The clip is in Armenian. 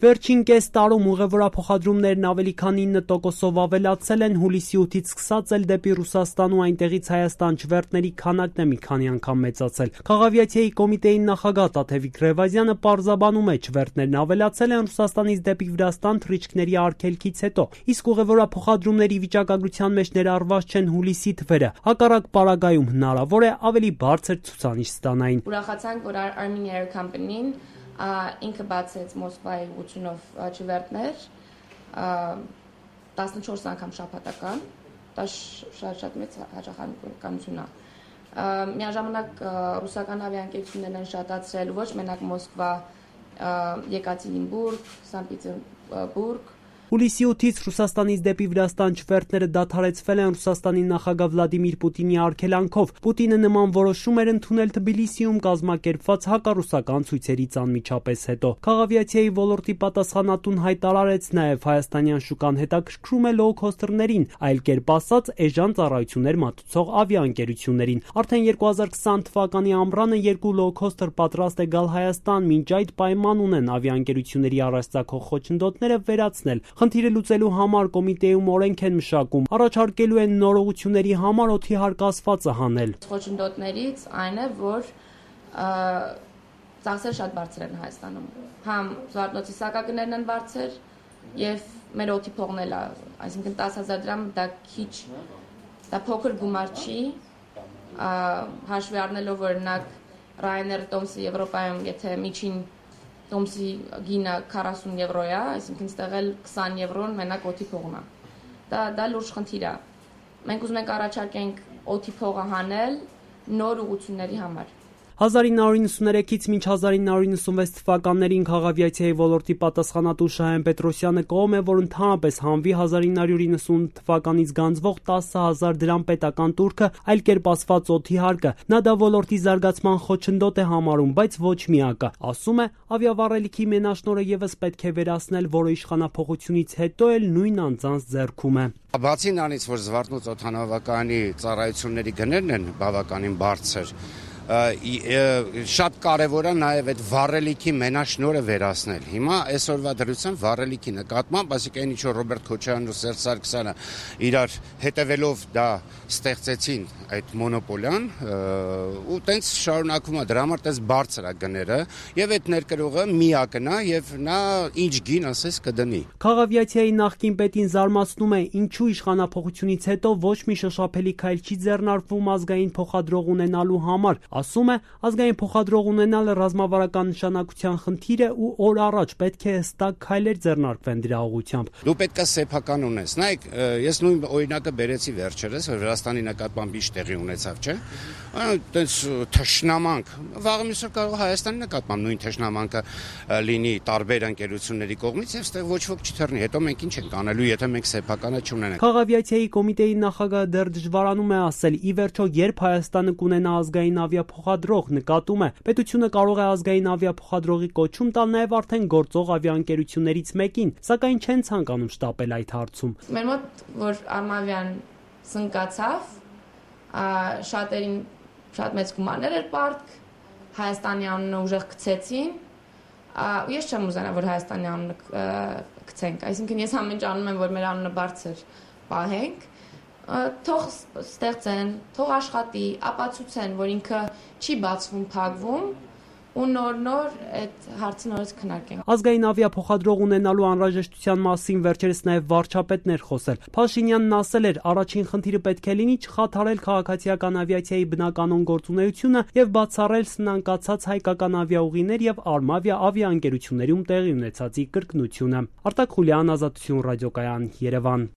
Վերջին կես տարում ուղևորափոխադրումներն ավելի քան 9%-ով ավելացել են, հուլիսի 8-ից սկսած էլ դեպի Ռուսաստան ու այնտեղից Հայաստան չվերթների քանակն է մի քանի անգամ մեծացել։ Խաղավիացիայի կոմիտեի նախագահ Տաթևիկ Ռևազյանը պարզաբանում է, չվերթներն ավելացել են Ռուսաստանից դեպի Վրաստան թռիչքների արգելքից հետո, իսկ ուղևորափոխադրումների վիճակագրության մեջ ներառված չեն հուլիսի թվերը։ Հակառակ պարագայում հնարավոր է ավելի բարձր ցուցանիշ ստանային։ Ուրախացանք, որ Armenia Air Company-ն ինքը բացեց Մոսկվայի ուղղությունով չվերթներ 14 անգամ շաբաթական, դա շատ մեծ հաճախականություն է։ Միաժամանակ ռուսական ավիաընկերություններն են շատացրել ոչ մենակ Մոսկվա, Եկատերինբուրգ, Սանկտ Պետերբուրգ։ Հուլիսի 8-ից Ռուսաստանից դեպի Վրաստան չվերթները դադարեցվել են Ռուսաստանի նախագահ Վլադիմիր Պուտինի արգելանքով։ Պուտինը նման որոշում էր ընդունել Թբիլիսիում կազմակերպված հակառուսական ցույցերից անմիջապես հետո։ Խաղավիացիայի ոլորտի պատասխանատուն հայտարարեց նաև հայաստանյան շուկան հետաքրքրում է լոու-քոստերներին, այլ կերպ ասած էժան ծառայություններ մատուցող ավիաընկերություններին։ Արդեն 2020 թվականի ամռանը 2 լոու-քոստեր պատրաստ է գալ Հայաստան, մինչ այդ պայման ունեն ավիաընկերությունների առաջ ցակող խոչընդոտները վերացնել։ Խնդիրը լուծելու համար կոմիտեում օրենք են մշակում, առաջարկելու են նորողությունների համար օդի հարկասվածը հանել։ Խոչընդոտներից այն է, որ ծախսերը շատ բարձր են Հայաստանում։ Համ զվարթնոցի սակագներն են բարձր եւ մեր օդի փողն էլ է, այսինքն 10,000 դրամ դա քիչ, դա փոքր գումար չի, հաշվի առնելով օրինակ Ryanair Tomsk Եվրոպայում, եթե միջին Տոմսի գինը 40 եվրո է, այսինքն ստեղ էլ 20 եվրոն մենակ օդի փողն է։ Դա լուրջ խնդիր է։ Մենք ուզում ենք առաջարկենք օդի փողը հանել նոր ուղղությունների համար։ 1993-ից մինչ 1996 թվականներին խաղավիացիայի ոլորտի պատասխանատու Շահեն Պետրոսյանը կողմ է, որ ընդհանրապես հանվի 1998 թվականից գանձվող 10,000 դրամ պետական տուրքը, այլ կերպ ասված օդի հարկը։ Նա դա ոլորտի զարգացման խոչընդոտ է համարում, բայց ոչ միակը։ Ասում է, ավիավառելիքի մենաշնորհը եւս պետք է վերացնել, որը իշխանափոխությունից հետո էլ նույն անձանց ձեռքում է։ Բացի նրանից, որ Զվարթնոց օդանավակայանի ծառայությունների գներն են բավականին բարձր, շատ կարևոր է նաև այդ վառելիքի մենաշնորհը վերացնել։ Հիմա այսօրվա դրությամբ վառելիքի նկատմամբ, այսինքն այն ինչ որ Ռոբերտ Քոչարյանն ու Սերժ Սարգսյանը իրար հետևելով դա ստեղծեցին այդ մոնոպոլիան, ու տենց շարունակվում է, դրա համար տես բարձր է գները, եւ այդ ներկրողը միակն է եւ նա ինչ գին ասես կդնի։ Խաղավիացիայի նախկին պետին զարմացնում է, ինչու իշխանափոխությունից հետո ոչ մի շոշափելի քայլ չի ձեռնարկվում ազգային փոխադրող ունենալու համար։ Ասում է, ազգային փոխադրող ունենալը ռազմավարական նշանակության խնդիր է ու օր առաջ պետք է հստակ քայլեր ձեռնարկվեն դրա ուղղությամբ։ Դու պետք է սեփական ունես։ Նայեք, ես նույն օրինակը բերեցի վերջերս, որ Վրաստանի նկատմամբ ինչ տեղի ունեցավ, չէ՞։ Այդպես թշնամանք։ Վաղը մյուսը կարող Հայաստանի նկատմամբ նույն թշնամանքը լինի տարբեր ընկերությունների կողմից եւ ստեղ ոչ ոք չթռնի։ Հետո մենք ինչ ենք անելու, եթե մենք սեփականը չունենանք։ Խաղավիացիայի կոմիտեի նախագահը դեռ դժվարանում է ասել, ի վերջո երբ Հայաստանը կունենա ազգային ավիափոխադրող, նկատում է, պետությունը կարող է ազգային ավիափոխադրողի կոչում տալ նաև արդեն գործող ավիաընկերություններից մեկին, սակայն չեն ցանկանում շտապել այդ հարցում։ Մեր մոտ որ Արմավիան սնկացավ, շատերին շատ մեծ գումարներ էր պարտք, Հայաստանի անունը ուժեղ գցեցին, ու ես չեմ ուզենա, որ Հայաստանի անունը գցենք, այսինքն ես ամեն ինչ անում եմ, որ մեր անունը բարձր պահենք, թող ստեղծեն, թող աշխատի, ապացուցեն, որ ինքը չի բացվում, փակվում, ու նոր այդ հարցը նորից քննարկենք։ Ազգային ավիափոխադրող ունենալու անհրաժեշտության մասին վերջերս նաև վարչապետն էր խոսել։ Փաշինյանն ասել էր, առաջին խնդիրը պետք է լինի չխաթարել քաղաքացիական ավիացիայի բնականոն գործունեությունը եւ բացառել սնանկացած հայկական ավիաուղիներ եւ Արմավիա ավիաընկերություններում տեղի ունեցածի կրկնությունը։ Արտակ Խուլյան, Ազատություն ռադիոկայան, Երևան։